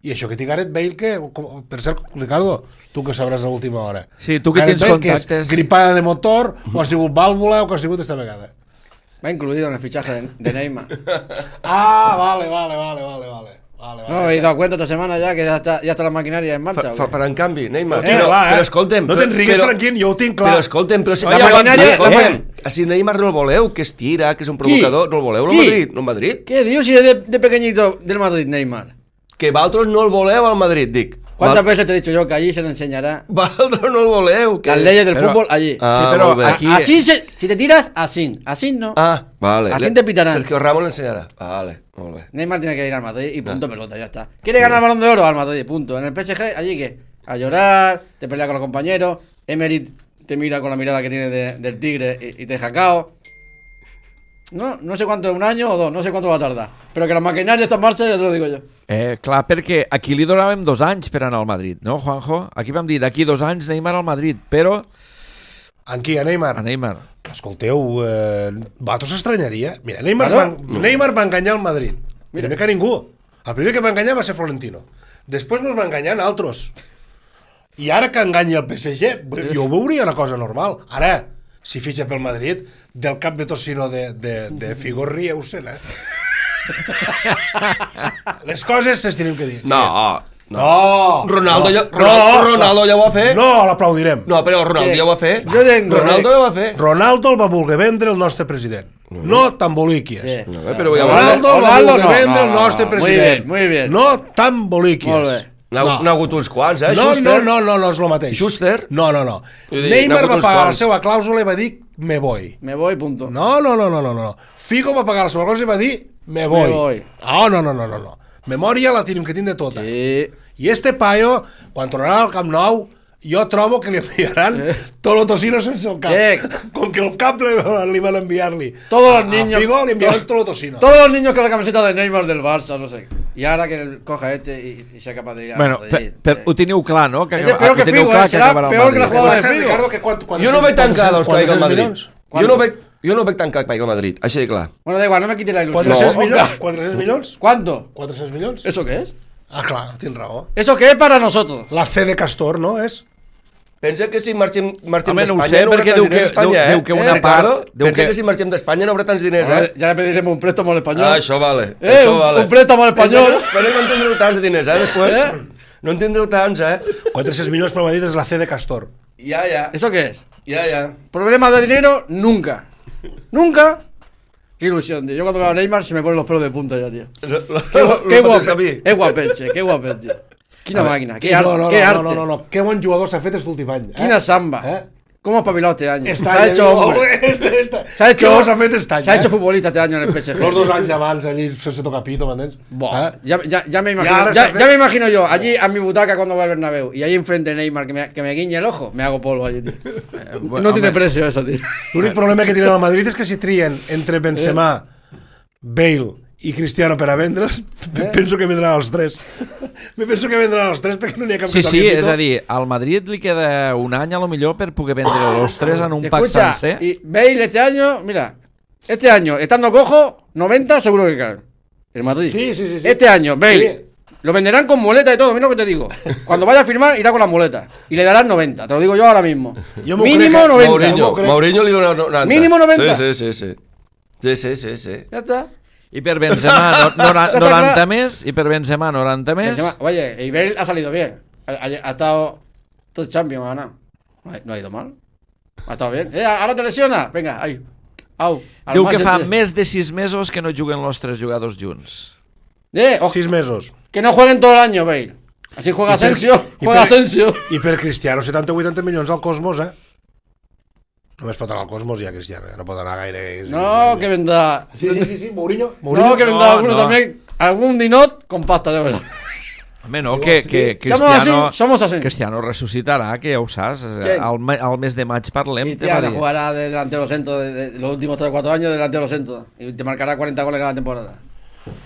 I això que té Gareth Bale, que, per cert, Ricardo, tu que sabràs a l'última hora. Sí, tu que Gareth tens Bale, contactes. Que és gripada de motor, o ha sigut vàlvula, o que ha sigut esta vegada. Va incluido en el fichaje de Neymar. Vale. No, he dado cuenta esta semana ya que ya está la maquinaria en marcha. Però en canvi, Neymar... Però escolta'm... No te'n rigues, Franquín, jo ho tinc clar. Però escolta'm... La maquinaria... Si Neymar no el voleu, que es tira, que és un provocador, no el voleu al Madrid? ¿Qué dios si es de pequeñito del Madrid, Neymar? Que vosaltres no el voleu al Madrid, dic. ¿Cuántas veces te he dicho yo que allí se le enseñará? Vosaltres no el voleu. Las leyes del fútbol allí. Ah, sí, pero aquí... Así si te tiras, así no. Ah, vale. Así te pitarán. Sergio Ramos le enseñará. Vale, muy bien. Neymar tiene que ir al Madrid y punto pelota, ya está. ¿Quiere ganar el Balón de Oro? Al Madrid, punto. En el PSG, allí ¿qué? A llorar, te pelea con los compañeros, Emery te mira con la mirada que tiene del tigre y te deja cao. No sé cuánto, 1 año o 2, no sé cuánto va a tardar. Però que la maquinària està en marxa, ja te lo digo jo. Clar, perquè aquí li donàvem 2 anys per anar al Madrid, no, Juanjo? Aquí vam dir, d'aquí 2 anys Neymar al Madrid, però... En qui, a Neymar? A Neymar. Escolteu, vosaltres s'estranyaria? Mira, Neymar va enganyar al Madrid. Primer que ningú. El primer que va enganyar va ser Florentino. Després nos va enganyar altres. I ara que enganyi el PSG, jo ho veuria una cosa normal. Ara, si fitxa pel Madrid, del cap de tocino de Figo rieu-se'n, Les coses s'es tenim que dir. No. Ronaldo ja ho va fer? No, l'aplaudirem. No, però Ronaldo ja ho va fer. Ronaldo ja ho va fer. Ronaldo el va voler vendre el nostre president. No t'emboliquies. Ronaldo el va voler vendre el nostre president. Muy bien. No t'emboliquies. Molt bé. N'ha hagut uns quants, No, és el mateix. Schuster? No. Neymar va pagar la seva clàusula i va dir me voy. Me voy, punto. No. Figo va pagar la seva clàusula i va dir me voy. No. Memòria la tenim que tindre tota. Sí. I este paio, quan tornarà al Camp Nou, jo trobo que li enviaran tot el tocino sense el cap. Com que el cap li van enviar-li. Todos los niños. A Figo li enviaran tot el tocino. Todos los niños con la camiseta de Neymar del Barça, no sé. Y ahora que coja y sea capaz de ir. Bueno, però ho teniu clar, no? Que és peor que Figo, serà peor que la jugada de Figo. Jo no veig tan clar que vagi al Madrid. Jo no veig tan clar que vagi al Madrid, així de clar. Bueno, da igual, no me quites la ilusión. 400 millones. 400 millones? ¿Cuánto? 400 millones. ¿Eso qué es? Ah, clar, tens raó. ¿Eso qué es para nosotros? La fe de Castor, no? És Pensa que si marxem d'Espanya no ho sé, no haurà tants diners a Espanya, diu que una part... Pensa que si marxem d'Espanya no haurà tants diners, Ya le pediremos un préstamo al español. Això vale, això vale. Un préstamo al español. Però no en tindreu tants de diners, després. No en tindreu tants, 400 milions per Madrid és la C de Castor. Ja. ¿Eso qué es? Ja. Problemas de dinero, nunca. Nunca. Qué ilusión, tío. Yo cuando veo a Neymar se me ponen los pelos de punta ya, tío. Qué guapo. Es guapeche, qué guapeche, tío. Quina màquina, qué arte. No. Qué buen jugador s'ha fet este últim any. Quina samba. ¿Cómo ha espabilado este año? Se ha hecho hombre. Se ha hecho Se ha hecho futbolista este año en el PSG. Los 2 anys abans allí sense tocar pito, m'entens? Ya me imagino. Ya me imagino yo allí a mi butaca cuando voy al Bernabéu y ahí enfrente de Neymar que me guiñe el ojo, me hago polvo allí, tío. No tiene precio eso, tío. L'únic problema que tiene el Madrid és que si trien entre Benzema, Bale i Cristiano per a vendre'ls, penso que vendran els 3. Penso que vendran els 3 perquè no n'hi ha cap que toqui pito. És a dir, al Madrid li queda un any a lo millor per poder vendre los 3 en un pack sencer. Y Bale este año, mira, este año, estando cojo, 90 seguro que cae. El Madrid. Sí. Este año, Bale, lo venderán con muleta y todo, mira lo que te digo. Cuando vaya a firmar, irá con la muleta. Y le darán 90, te lo digo yo ahora mismo. Mínimo 90. Mourinho li dona 90. Mínimo 90. Sí. Ya está. I per Benzema 90 més, i per Benzema 90 més. Oye, y Bale ha salido bien. Ha estado todo Champions, ha ganado. No ha ido mal. Ha estado bien. Ahora te lesiona. Venga, ahí. Au. Diu que fa més de 6 mesos que no juguen los 3 jugadors junts. 6 mesos. Que no jueguen todo el año, Bale. Así juega Asensio. I per Cristiano 70 o 80 milions al Cosmos, Només pot anar al Cosmos i a Cristiano, no pot anar gaire... No, que vendrá... Sí, Mourinho. No, que vendrá alguno también, algún dinot con pasta, de verdad. Home, no, que Cristiano ressuscitarà, que ja ho saps. Al mes de maig parlem. Cristiano jugará de delantero centro de los últimos 3 o 4 años de delantero centro. Y te marcará 40 goles cada temporada.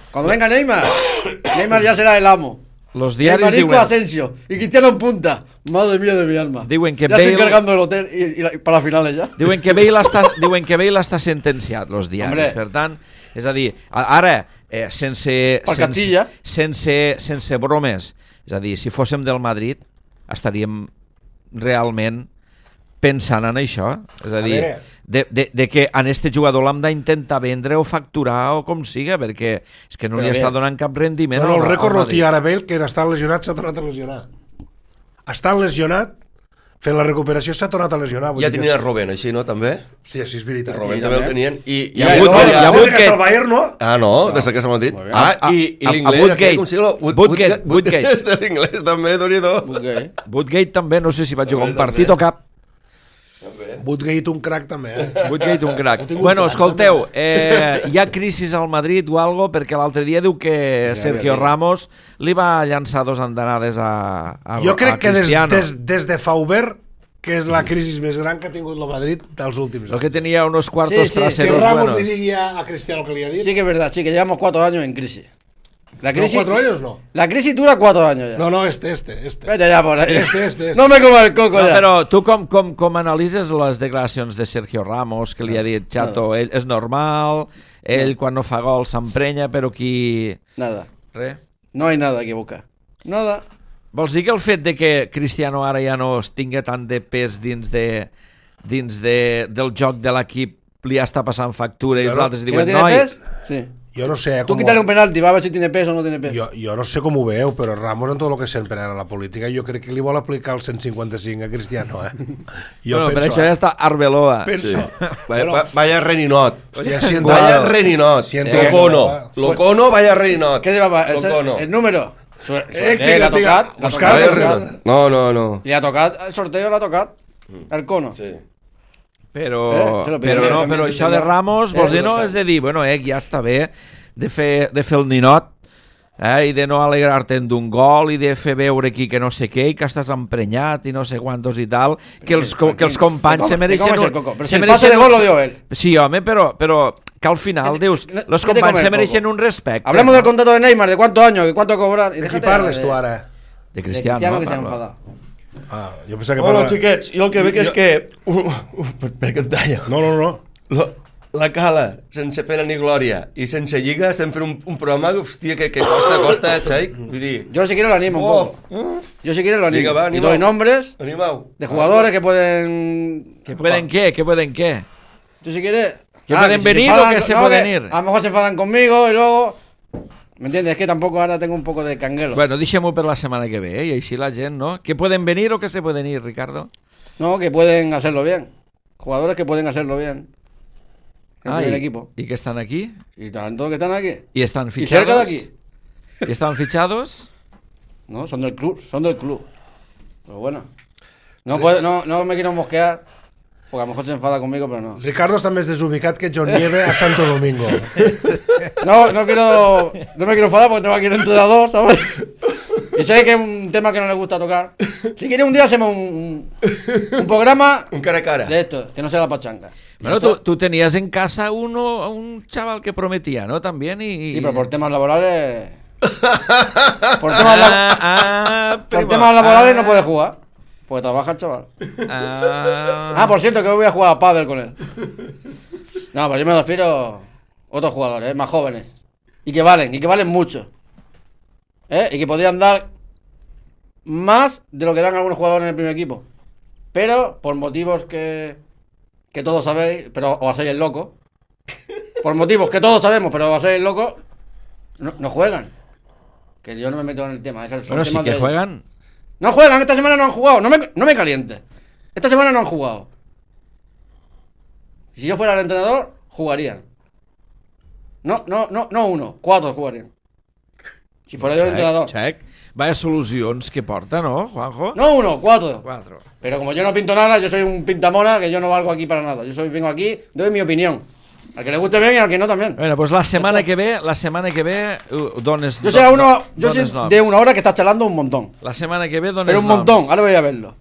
Cuando venga Neymar ya será el amo. Los diaris diuen... Asensio y Cristiano en punta. Madre mía de mi alma. Diuen que ya Bale... estoy cargando el hotel y para las finales ya. Diuen que Bale està sentenciat, los diaris. Hombre. Per tant, és a dir, ara, sense bromes, és a dir, si fóssim del Madrid, estaríem realment pensant en això. És a dir, de que en este jugador l'hem d'intentar vendre o facturar o com siga, perquè és que no li està donant cap rendiment. Bueno, el rècord no té ara Bale, que està lesionat, s'ha tornat a lesionar. Està lesionat, fent la recuperació s'ha tornat a lesionar. Ja tenia el Robben, així, no, també? Hòstia, sí, és veritat. El Robben també el tenien. I hi ha hagut que... el Bayern, no? Ah, no, des que s'ha Madrid. I l'inglès... Woodgate. L'inglès també, Dorido. Woodgate també, no sé si va jugar un partit o cap. Woodgate un crack també, Woodgate un crack. Bueno, escolteu, hi ha crisis al Madrid o algo, perquè l'altre dia diu que Sergio Ramos li va llançar 2 andanades a Cristiano. Jo crec que des de Fauber, que és la crisi més gran que ha tingut el Madrid dels últims anys. Lo que tenia unos cuartos traseros buenos. Que Ramos li digui a Cristiano que li ha dit. Sí que es verdad, sí que llevamos 4 años en crisis. La crisis, no, 4 años no. La crisis dura 4 años ya. No, este. Vete ya por ahí. Este. No me coma el coco ya. Però tu com analitzes les declaracions de Sergio Ramos, que li ha dit, Chato, ell és normal, ell quan no fa gol s'emprenya, però qui... Nada. Res? No hay nada que buscar. Nada. Vols dir que el fet de que Cristiano ara ja no tinga tant de pes dins del joc de l'equip li està passant factura i els altres diuen, noi... Sí. Jo no sé... Tú quítale un penalti, va a ver si tiene peso o no tiene peso. Jo no sé com ho veu, però Ramos en tot el que sempre era la política, jo crec que li vol aplicar el 155 a Cristiano, Bueno, per això ja està Arbeloa. Sí. Vaya reninot. Vaya reninot. Locono, vaya reninot. ¿Qué llevaba? El número. ¿Le ha tocat? No. Le ha tocat, el sorteo le ha tocat. El cono. Sí. Però això de Ramos, vols dir, no, és de dir, bueno, ja està bé de fer el ninot, i de no alegrar-te'n d'un gol i de fer veure aquí que no sé què i que estàs emprenyat i no sé quantos i tal, que els companys se mereixen... Però si el pase de gol lo dio él. Sí, home, però que al final dius, los companys se mereixen un respecte. Hablemos del contrato de Neymar, de cuántos años, de cuánto cobrar... De qui parles tu ara? De Cristiano, que s'ha enfadat. Jo pensava que xiquets, jo el que veig és que... Per què et talla? No. la Cala, sense pena ni glòria, i sense lliga, estem fent un programa, hòstia, que costa, Xaic. Vull dir... Yo si quieres lo animo un poco. Yo si quieres lo animo. Diga, va, y doy nombres de jugadores que pueden... ¿Que pueden qué? ¿Que pueden qué? Tú si quieres... ¿Que pueden venir o que se pueden ir? A lo mejor se enfadan conmigo y luego... ¿Me entiendes? Es que tampoco ahora tengo un poco de canguelo. Bueno, deixem-ho per la setmana que ve, i així la gent, ¿no? ¿Que pueden venir o que se pueden ir, Ricardo? No, que pueden hacerlo bien. Jugadores que pueden hacerlo bien. En el equipo. ¿Y que están aquí? Y tanto que están aquí. ¿Y están fichados? ¿Y cerca de aquí? ¿Y están fichados? No, son del club. Pero bueno. No me quiero mosquear, porque a lo mejor se enfada conmigo, pero no. Ricardo està més desubicat que John Nieve a Santo Domingo. No me quiero enfadar porque tengo aquí un entrenador, ¿sabes? Y sé que es un tema que no le gusta tocar. Si quiere un día hacemos un programa un cara a cara de esto, que no sea la pachanga. Bueno, tú tenías en casa un chaval que prometía, ¿no? También y... Sí, pero por temas laborales... por temas laborales no puede jugar. Porque trabaja el chaval. Por cierto, que hoy voy a jugar a pádel con él. No, pero yo me refiero a otros jugadores, más jóvenes. Y que valen mucho. Y que podrían dar más de lo que dan algunos jugadores en el primer equipo. Pero, por motivos que todos sabéis, pero os hacéis el loco. Por motivos que todos sabemos, pero os hacéis el loco, no juegan. Que yo no me meto en el tema. Pero sí que juegan. No juegan, esta semana no han jugado. No me calientes. Esta semana no han jugado. Si yo fuera el entrenador, jugarían. No uno, 4 jugarían. Si fuera yo el entrenador. Check. Vaya solucions que porta, ¿no, Juanjo? No 1, 4. 4. Pero como yo no pinto nada, yo soy un pintamona, que yo no valgo aquí para nada. Vengo aquí, doy mi opinión. Al que le guste bien y al que no también. Bueno, pues la semana que ve dones... Yo soy de una hora que está charlando un montón. La semana que ve dones Pero un montón, ahora voy a verlo.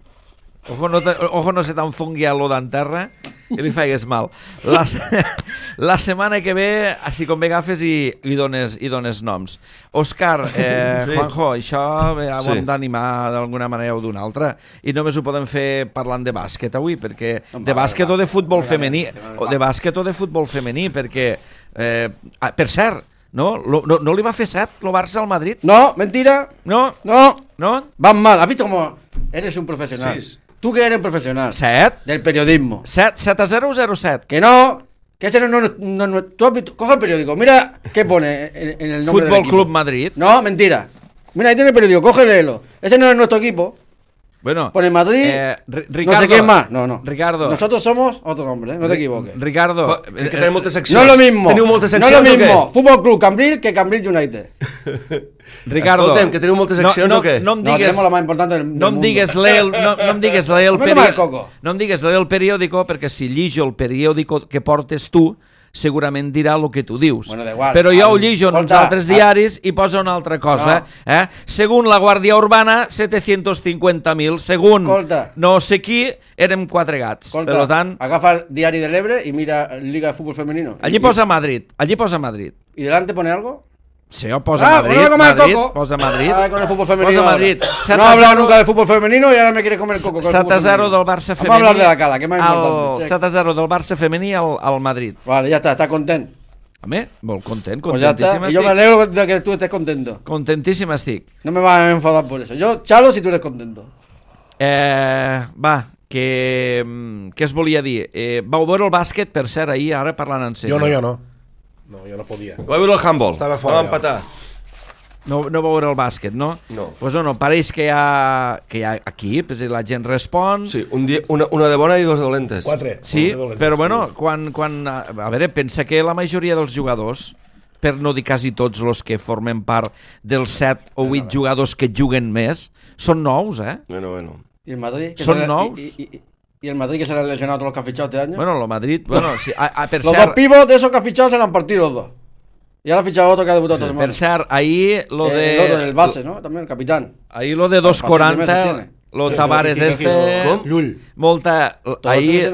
Ojo no se t'enfongui a lo d'enterra i li faigues mal. La setmana que ve, així com ve agafes i dones noms. Òscar, sí. Juanjo, això ho hem d'animar d'alguna manera o d'una altra. I només ho podem fer parlant de bàsquet avui, perquè de bàsquet o de futbol femení, perquè, per cert, no li va fer 7 el Barça al Madrid? No, mentira. No. Van mal. ¿Has visto cómo eres un profesional? Sí. Tú que eres un profesional. 7. Del periodismo. 7-0 o 0-7. Que no. Que ese no. Tú has visto, coge el periódico. Mira qué pone en el nombre del equipo. Fútbol Club Madrid. No, mentira. Mira, ahí tiene el periódico. Coge, léelo. Ese no es nuestro equipo. Bueno, pone Madrid, Ricardo, no sé quién más. No. Ricardo. Nosotros somos otro nombre, no te equivoques. Ricardo, que tenim moltes seccions. No es lo mismo. Teniu moltes seccions, no es lo mismo. Fútbol Club Cambril que Cambril United. Ricardo, escolta'm, que teniu moltes seccions o què? No em digues, tenemos la más importante del mundo. No em digues el periòdico, perquè si llijo el periòdico que portes tu, segurament dirà el que tu dius. Bueno, da igual. Però jo ho llijo en uns altres diaris i posa una altra cosa. No. Según la Guàrdia Urbana, 750.000. Según no sé qui, érem 4 gats. Per tant, agafa el diari de l'Ebre i mira Liga de Fútbol Femenino. Allí posa Madrid. ¿Y delante pone algo? Sí, posa Madrid. Posa Madrid. Con el fútbol femenino. Posa Madrid. No he hablado nunca de fútbol femenino y ahora me quiere comer el coco. 7-0 del Barça femení. Vamos a hablar de la Cala, que es más importante. 7-0 del Barça femení al Madrid. Vale, ya está content. Home, molt content, pues ya está. Y yo me alegro de que tú estés contento. Contentíssim estic. No me vas a enfadar por eso. Yo chalo si tú eres contento. Va, què es volia dir? Vau veure el bàsquet, per cert, ahir, ara parlant en sèrio. Jo no. No, jo no podia. Vaig veure el handball. Estava fora. Vam empatar. No va veure el bàsquet, no? No. Pues no, pareix que hi ha equip, és a dir, la gent respon... Sí, una de bona i 2 de dolentes. 4. Sí, però bueno, quan... A veure, pensa que la majoria dels jugadors, per no dir quasi tots els que formen part dels 7 o 8 jugadors que juguen més, són nous, Bueno. ¿Y el Madrid? Són nous. ¿Y el Madrid que se le han lesionado todos los que han fichado este año? Bueno, el Madrid... Bueno, sí, per los cert... dos pibos de esos que han fichado se le han partido los dos. Y ahora ha fichado otro que ha debutado esta semana. Per cert, ahir lo de... El otro, el base, ¿no? También el capitán. Ahir lo de 2.40, lo Tavares Llull. Molta... Ahir...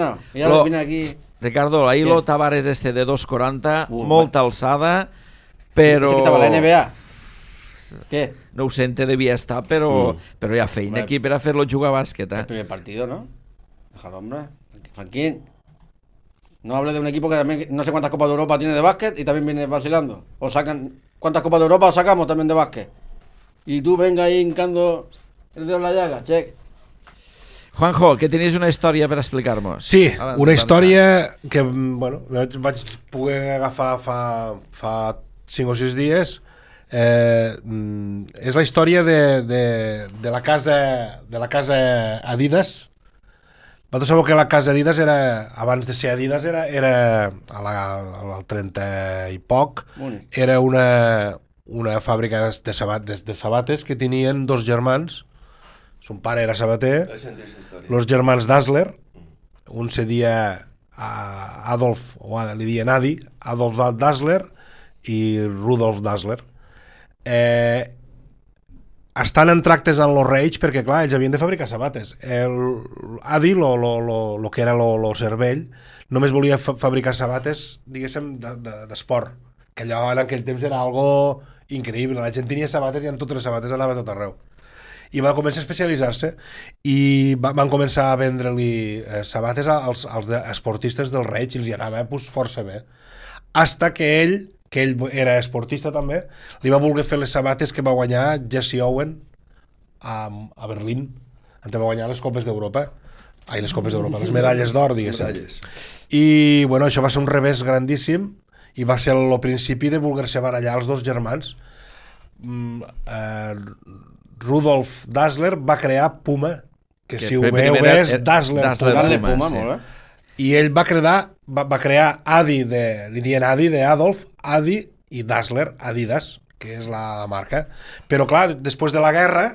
Aquí. Ricardo, ahir lo Tavares de 2.40, molta alçada, però... ¿Este que estaba en la NBA? ¿Qué? No ho sé, devia estar, però hi ha feina aquí per a fer-lo jugar a bàsquet, El primer partido, ¿no? Déjalo, hombre. Franquín. No hable de un equipo que también no sé cuántas Copas de Europa tiene de básquet y también viene vacilando. O sacan, ¿cuántas Copas de Europa sacamos también de básquet? Y tú venga ahí hincando el dedo en la llaga, check. Juanjo, que tenies una història per explicar-nos. Sí, una història que, bueno, vaig poder agafar fa 5 o 6 dies. És la història de la casa Adidas. Vosaltres sabeu que la casa Adidas era, abans de ser Adidas, era al 30 i poc, era una fàbrica de sabates que tenien 2 germans. Son pare era sabater, els germans Dassler, un se dia Adolf, o li diuen Adi, Adolf Dassler i Rudolf Dassler. Estan en tractes amb els reis perquè, clar, ells havien de fabricar sabates. Adi, el que era el cervell, només volia fabricar sabates, diguéssim, d'esport, que allò en aquell temps era algo increïble. La gent tenia sabates i en totes les sabates anava a tot arreu. I va començar a especialitzar-se i van començar a vendre-li sabates als esportistes dels reis i els hi anava força bé. Hasta que ell era esportista també, li va voler fer les sabates que va guanyar Jesse Owen a Berlín, on va guanyar les Copes d'Europa. Les Copes d'Europa, les medalles d'or, diguéssim. I, bueno, això va ser un revés grandíssim i va ser el principi de voler-se barallar els 2 germans. Rudolf Dassler va crear Puma, que si ho veu és Dassler Puma, i ell va crear Adi, li diuen Adi d'Adolf, Adi i Dassler, Adidas, que és la marca. Però clar, després de la guerra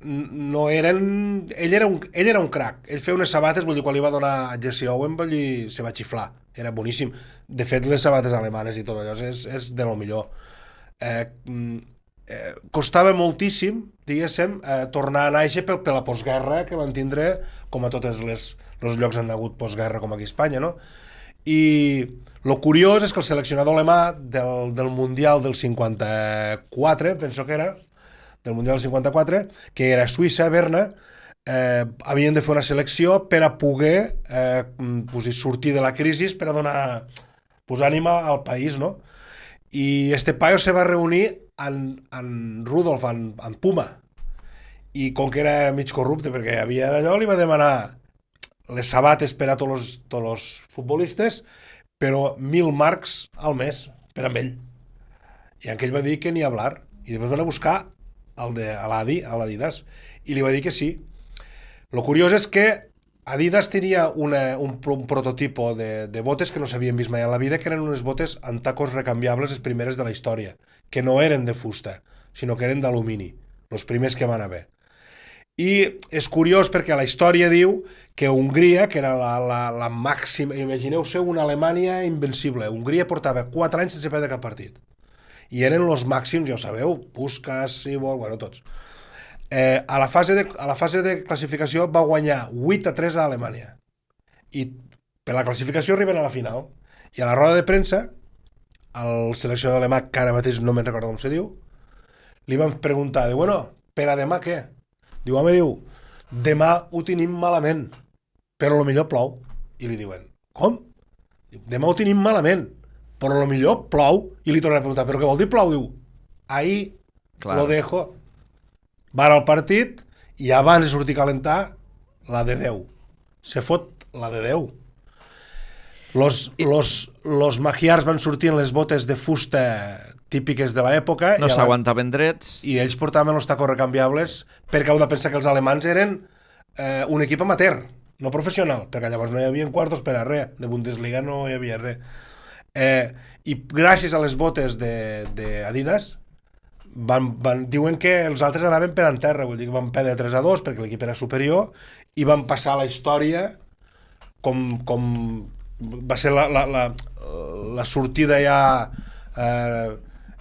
no eren... Ell era un crac, ell feia unes sabates, vull dir, quan li va donar a Jesse Owen, vull dir, se va xiflar, era boníssim. De fet, les sabates alemanes i tot allò és de lo millor. Costava moltíssim, diguéssim, tornar a néixer per la postguerra que van tindre, com a tots els llocs han hagut postguerra com aquí a Espanya, no? I el curiós és que el seleccionador alemà del Mundial del 54, penso que era, del Mundial del 54, que era Suïssa, Berna, havien de fer una selecció per a poder sortir de la crisi, per a donar ànima al país, no? I este paio se va reunir en Rudolf, en Puma, i com que era mig corrupte perquè havia d'allò, li va demanar les sabates per a tots els futbolistes, però 1.000 marcs al mes per amb ell, i aquell va dir que ni hablar, i després van a buscar a l'Adidas, i li va dir que sí. Lo curiós és que Adidas tenia un prototipo de botes que no s'havien vist mai a la vida, que eren unes botes amb tacos recanviables, les primeres de la història, que no eren de fusta, sinó que eren d'alumini, els primers que van haver. I és curiós perquè la història diu que Hongria, que era la màxima, imagineu-se una Alemanya invencible, Hongria portava 4 anys sense perdre cap partit, i eren els màxims, ja ho sabeu, Puskás, Sibor, bueno, tots. A la fase de classificació va guanyar 8-3 a Alemanya, i per la classificació arriben a la final, i a la roda de premsa el seleccionador alemà, que ara mateix no me'n recordo com se diu, li van preguntar, diu, bueno, per a demà què? Diu, home, demà ho tenim malament, però millor plou. I li diuen, com? Diu, demà ho tenim malament, però millor plou. I li tornen a preguntar, però què vol dir plou? Diu, ahí lo dejo. Va al partit i abans de sortir a calentar, la de Déu. Se fot la de Déu. Los magiars van sortir en les botes de fusta típiques de l'època. No s'aguantaven drets. I ells portaven els tacos recanviables perquè heu de pensar que els alemans eren un equip amateur, no professional, perquè llavors no hi havia quartos per a res, de Bundesliga no hi havia res. I gràcies a les botes d'Adidas diuen que els altres anaven per en terra, vull dir que van perdre 3-2 perquè l'equip era superior i van passar a la història com va ser la sortida ja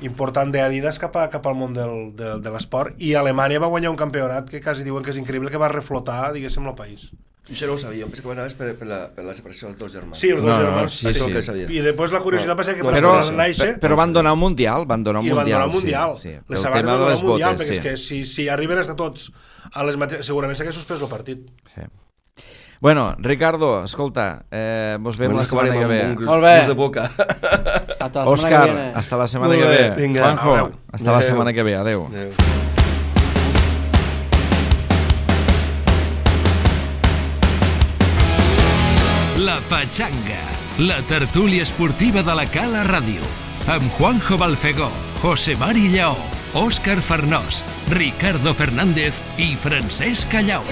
important d'Adidas cap al món de l'esport, i Alemanya va guanyar un campionat que quasi diuen que és increïble, que va reflotar, diguéssim, el país. Això no ho sabia, penso que va anar per la separació dels 2 germans. Sí, els 2 germans. Sí. I després la curiositat va ser que però van donar un mundial. Van donar un mundial. Sí. Les sabates van donar un mundial, perquè és que si arriben a estar tots a les mateixes, segurament s'hagués suspès el partit. Sí. Bueno, Ricardo, escolta, vos veiem la setmana que ve. Molt bé. De boca. Òscar, hasta la setmana que ve. Vinga. Juanjo, hasta la setmana que ve. Adéu. La Pachanga, la tertúlia esportiva de la Cala Ràdio, amb Juanjo Balfegó, José Mari Lleó, Òscar Farnós, Ricardo Fernández i Francesc Callau.